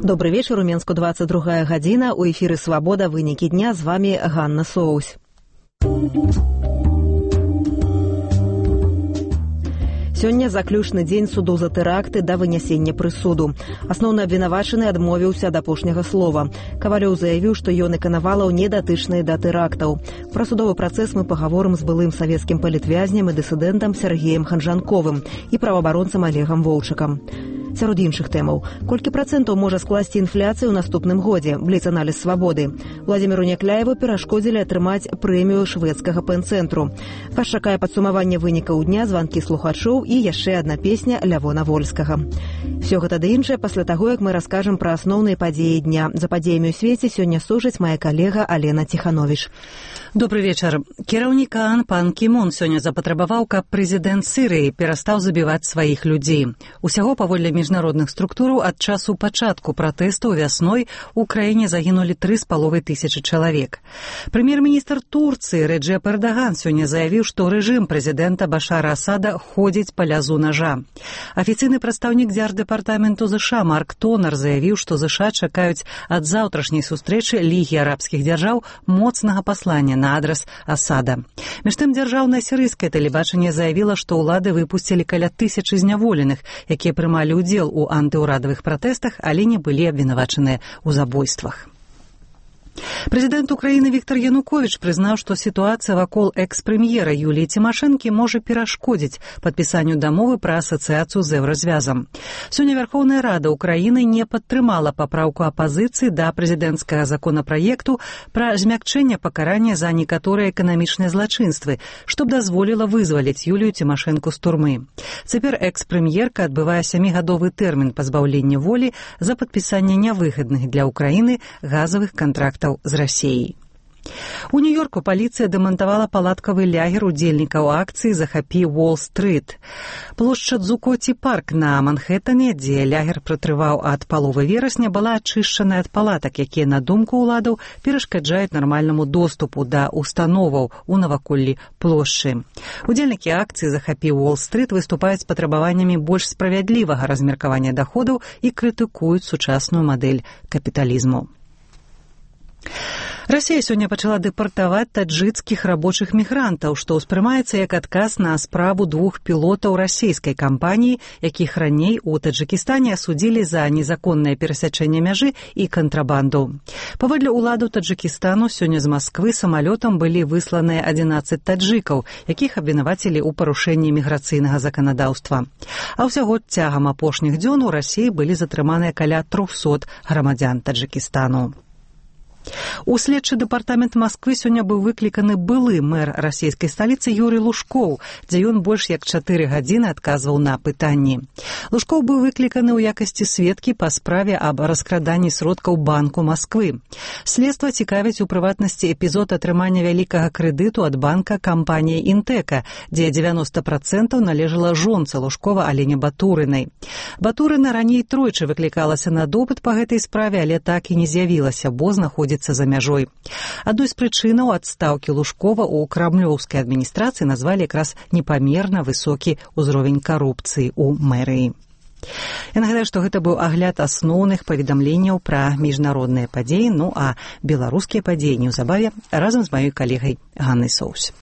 Добрый вечер, у Менску 22 гадзіна, у эфіры «Свабода. Вынікі дня», з вами Ганна Соусь. Сёння заключны дзень суду за тэракты да вынясення прысуду. Асноўны абвінавачаны адмовіўся ад апошняга слова. Кавалёў заявіў, што ён і Канавалаў не датычныя да тэрактаў. Пра судовы працэс мы пагаворым з былым савецкім палітвязням і дысідэнтам Сергеем Ханжанковым і праваабаронцам Олегам Воўчыкам. Сярод іншых тэмаў. Колькі працэнтаў можа скласці інфляцыю ў наступным годзе? Бліц-аналіз «Свабоды». Владзіміру Някляеву перашкодзілі атрымаць прэмію шведскага пэн-цэнтру. Вас чакае падсумаванне вынікаў дня, званкі слухачоў і яшчэ адна песня Лявона Вольскага. Всё гэта ды іншае пасля таго, як мы раскажам пра асноўныя падзеі дня. За падзеямі ў свеце сёння сужыць мая калега Алена Ціхановіч. Добрый вечар. Кіраўнік ААН пан Кі Мун сёння запатрабаваў, каб прэзідэнт Сірыі перастаў забіваць сваіх людзей. Усяго, паводле міжнародных структураў, ад часу пачатку пратэстаў вясной у краіне загінулі 3,5 тысячы чалавек. Прэм'ер-міністр Турцыі Реджеп Эрдаган сёння заявіў, што рэжым прэзідэнта Башара Асада ходзіць па лязу нажа. Афіцыйны прадстаўнік дзярдэпартаменту ЗША Марк Тонер заявіў, што ЗША чакаюць ад заўтрашняй сустрэчы Лігі арабскіх дзяржаў моцнага паслання на адрас Асада. Між тым, дзяржаўнае сірыйскае тэлебачанне заявіла, што ўлады выпусцілі каля 1000 зняволеных, якія прымалі ўдзел у антыўрадавых пратэстах, але не былі абвінавачаныя ў забойствах. Прэзідэнт Украіны Віктор Януковіч прызнаў, што сітуацыя вакол экс-прэм'ера Юліі Цімашэнкі можа перашкодзіць падпісанню дамовы пра асацыяцыю з Еўразвязам. Сёння Верхоўная Рада Украіны не падтрымала папраўку апазіцыі да прэзідэнцкага законапраекту пра змякчэнне пакарання за некаторыя эканамічныя злачынствы, што б дазволіла вызваліць Юлію Цімашэнку з турмы. Цяпер экс-прэм'ерка адбывае 7-гадовы тэрмін пазбаўлення волі за падпісанне нявыгадных для Украіны газавых кантрактаў з Расіяй. У Нью-Йорку паліцыя дэмантавала палаткавы лягер удзельнікаў акцыі «Захапі Уолл-стрыт». Плошча Дзукоці парк на Манхэттане, дзе лягер пратрываў ад паловы верасня, была ачышчана ад палатак, якія, на думку ўладаў, перашкаджаюць нармальнаму доступу да установаў у наваколлі плошчы. Удзельнікі акцыі «Захапі Уолл-стрыт» выступаюць з патрабаваннямі больш справядлівага размеркавання даходаў і крытыкуюць сучасную мадэль капіталізму. Расія сёння пачала дэпартаваць таджыкскіх рабочых мігрантаў, што ўспрымаецца як адказ на справу 2 пілотаў расійскай кампаніі, якіх раней у Таджыкістане асудзілі за незаконнае перасячэнне мяжы і кантрабанду. Паводле ўладаў Таджыкістану сёння з Масквы самалётам былі высланыя 11 таджыкаў, якіх абвінавацілі ў парушэнні міграцыйнага заканадаўства. А ўсяго цягам апошніх дзён у Расіі былі затрыманыя каля 300 грамадзян Таджыкістану. У следчы дэпартамент Масквы сёння быў выкліканы былы мэр расійскай сталіцы Юрый Лужкоў, дзе ён больш як 4 гадзіны адказваў на пытанні. Лужкоў быў выкліканы ў якасці сведкі па справе аб раскраданні сродкаў Банку Масквы. Следства цікавіць у прыватнасці эпізод атрымання вялікага крэдыту ад банка кампаніі «Інтэка», дзе 90% належала жонцы Лужкова Алене Батурынай. Батурына раней тройчы выклікалася на допыт па гэтай справе, але так і не з'явілася, бо знаходзіцца за мяжой. Адной з прычынаў адстаўкі Лужкова ў крамлёўскай адміністрацыі назвалі якраз непамерна высокі ўзровень карупцыі ў мэрыі. Я нагадаю, што гэта быў агляд асноўных паведамленняў пра міжнародныя падзеі, а беларускія падзеі неўзабаве разам з маёй калегай Ганнай Соусь.